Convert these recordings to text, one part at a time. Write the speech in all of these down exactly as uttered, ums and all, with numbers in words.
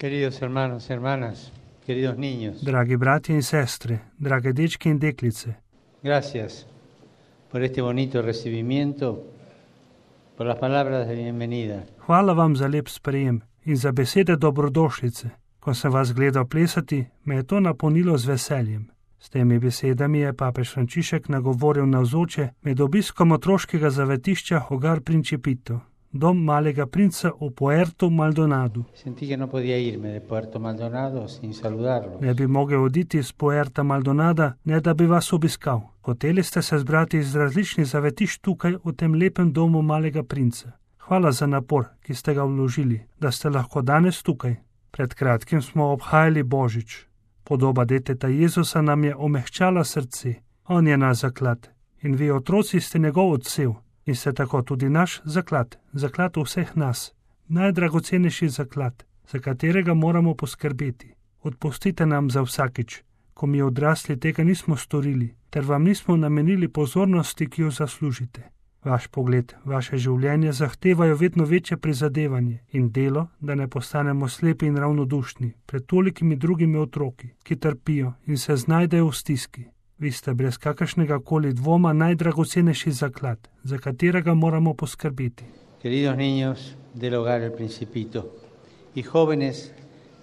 Queridos hermanos, hermanas, queridos niños. Dragi bratje in sestre, drage dečke in deklice, Gracias por este bonito recibimiento, por las palabras de bienvenida. hvala vam za lep sprejem in za besede dobrodošlice. Ko sem vas gledal plesati, me je to napolnilo z veseljem. S temi besedami je papež Frančišek nagovoril navzoče med obiskom otroškega zavetišča Hogar Principito, dom malega princa v Puerto Maldonadu. Sentí que no podía irme de Puerto Maldonado sin saludarlos. Ne bi mogel oditi iz Puerta Maldonada, ne da bi vas obiskal. Hoteli ste se zbrati iz različnih zavetišč tukaj v tem lepem domu malega princa. Hvala za napor, ki ste ga vložili, da ste lahko danes tukaj. Pred kratkim smo obhajali Božič. Podoba deteta Jezusa nam je omehčala srce. On je naš zaklad in vi otroci ste njegov odsev in ste tako tudi naš zaklad, zaklad vseh nas, najdragocenejši zaklad, za katerega moramo poskrbeti. Odpustite nam za vsakič, ko mi odrasli tega nismo storili, ter vam nismo namenili pozornosti, ki jo zaslužite. Vaš pogled, vaše življenje zahtevajo vedno večje prizadevanje in delo, da ne postanemo slepi in ravnodušni pred tolikimi drugimi otroki, ki trpijo in se znajdejo v stiski. Vi ste brez kakršnega koli dvoma najdragocenejši zaklad, za katerega moramo poskrbeti. Queridos niños del Hogar El Principito y jóvenes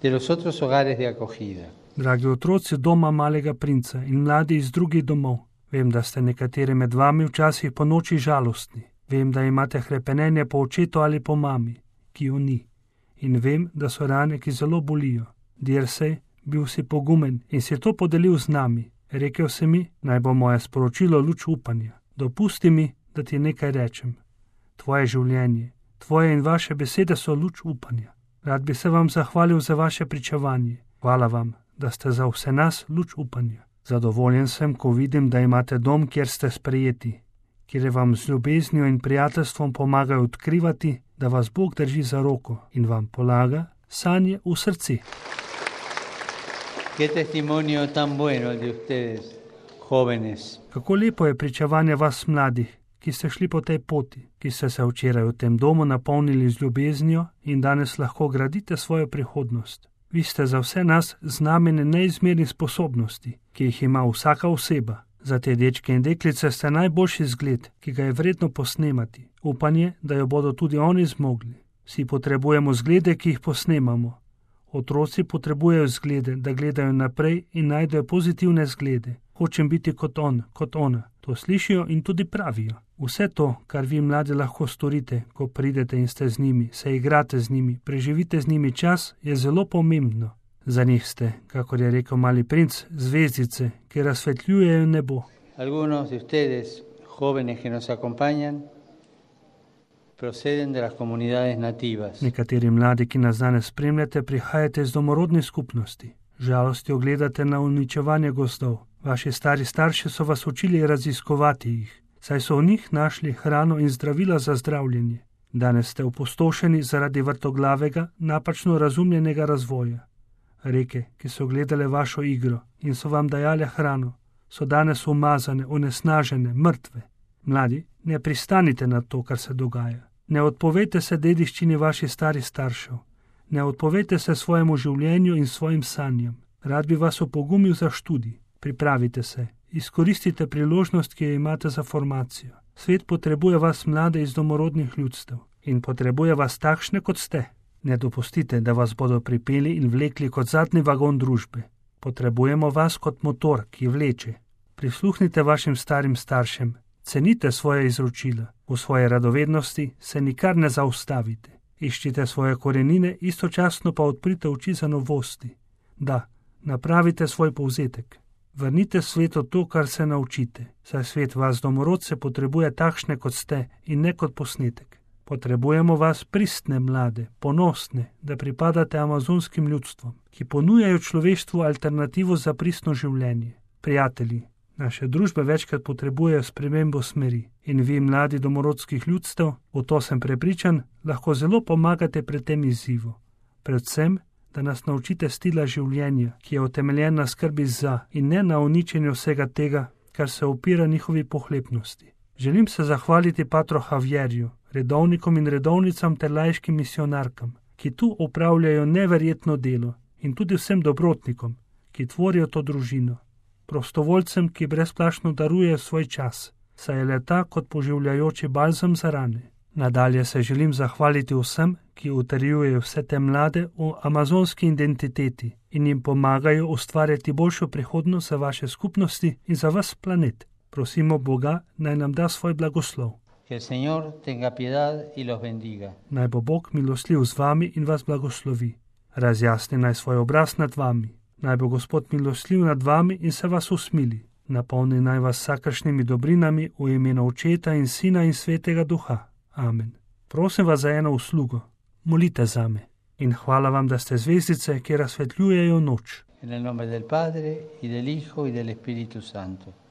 de los otros hogares de acogida. Dragi otroci doma malega princa in mladi iz drugih domov, vem, da ste nekateri med vami včasih po noči žalostni. Vem, da imate hrepenenje po očetu ali po mami, ki jo ni. In vem, da so rane, ki zelo bolijo. Dirsej, bil si pogumen in si to podelil z nami. Rekel si mi, naj bo moje sporočilo luč upanja. Dopusti mi, da ti nekaj rečem. Tvoje življenje, tvoje in vaše besede so luč upanja. Rad bi se vam zahvalil za vaše pričevanje. Hvala vam, da ste za vse nas luč upanja. Zadovoljen sem, ko vidim, da imate dom, kjer ste sprejeti, kjer vam z ljubeznijo in prijateljstvom pomagajo odkrivati, da vas Bog drži za roko in vam polaga sanje v srce. Qué testimonio tan bueno el de ustedes, jóvenes. Kako lepo je pričevanje vas mladih, ki ste šli po tej poti, ki ste se včeraj v tem domu napolnili z ljubeznijo in danes lahko gradite svojo prihodnost. Vi ste za vse nas znamenje neizmernih sposobnosti, ki jih ima vsaka oseba. Za te dečke in deklice ste najboljši zgled, ki ga je vredno posnemati. Upanje, da jo bodo tudi oni zmogli. Vsi potrebujemo zglede, ki jih posnemamo. Otroci potrebujejo zglede, da gledajo naprej in najdejo pozitivne zglede. Hočem biti kot on, kot ona. To slišijo in tudi pravijo. Vse to, kar vi mladi lahko storite, ko pridete in ste z njimi, se igrate z njimi, preživite z njimi čas, je zelo pomembno. Za njih ste, kakor je rekel mali princ, zvezdice, ki razsvetljujejo nebo. Algunos de ustedes, jóvenes que nos acompañan, proceden de las comunidades nativas. Nekateri mladi, ki nas danes spremljate, prihajate iz domorodnih skupnosti. Žalostjo gledate na uničevanje gozdov. Vaši stari starši so vas učili raziskovati jih, saj so v njih našli hrano in zdravila za zdravljenje. Danes ste opustošeni zaradi vrtoglavega, napačno razumljenega razvoja. Reke, ki so gledale vašo igro in so vam dajale hrano, so danes umazane, onesnažene, mrtve. Mladi, ne pristanite na to, kar se dogaja. Ne odpovejte se dediščini vaših starih staršev. Ne odpovejte se svojemu življenju in svojim sanjam. Rad bi vas opogumil za študij. Pripravite se, izkoristite priložnost, ki jo imate za formacijo. Svet potrebuje vas mlade iz domorodnih ljudstev in potrebuje vas takšne, kot ste. Ne dopustite, da vas bodo pripeli in vlekli kot zadnji vagon družbe. Potrebujemo vas kot motor, ki vleče. Prisluhnite vašim starim staršem, cenite svoje izročila, v svoje radovednosti se nikar ne zaustavite. Iščite svoje korenine, istočasno pa odprite oči za novosti. Da, napravite svoj povzetek. Vrnite svetu to, kar se naučite, saj svet vas domorodce potrebuje takšne, kot ste, in ne kot posnetek. Potrebujemo vas pristne mlade, ponosne, da pripadate amazonskim ljudstvom, ki ponujajo človeštvu alternativo za pristno življenje. Prijatelji, naše družbe večkrat potrebujejo spremembo smeri in vi, mladi domorodskih ljudstev, v to sem prepričan, lahko zelo pomagate pri tem izzivu. Predvsem, da nas naučite stila življenja, ki je utemeljen na skrbi za in ne na uničenju vsega tega, kar se opira njihovi pohlepnosti. Želim se zahvaliti patru Javierju, redovnikom in redovnicam ter laiškim misionarkam, ki tu opravljajo neverjetno delo, in tudi vsem dobrotnikom, ki tvorijo to družino, prostovoljcem, ki brezplačno darujejo svoj čas, saj je le-ta kot poživljajoči balzam za rane. Nadalje se želim zahvaliti vsem, ki utrjujejo vse te mlade v amazonski identiteti in jim pomagajo ustvarjati boljšo prihodnost za vaše skupnosti in za vas planet. Prosimo Boga, naj nam da svoj blagoslov. Que el Señor tenga piedad y los bendiga. Naj bo Bog milostljiv z vami in vas blagoslovi. Razjasni naj svoj obraz nad vami. Naj bo Gospod milostljiv nad vami in se vas usmili. Napolni naj vas vsakršnimi dobrinami v imenu Očeta in Sina in Svetega Duha. Amen. Prosim vas za eno uslugo. Molite zame. In hvala vam, da ste zvezdice, ki razsvetljujejo noč. En el nombre del Padre, y del Hijo, y del Espíritu Santo.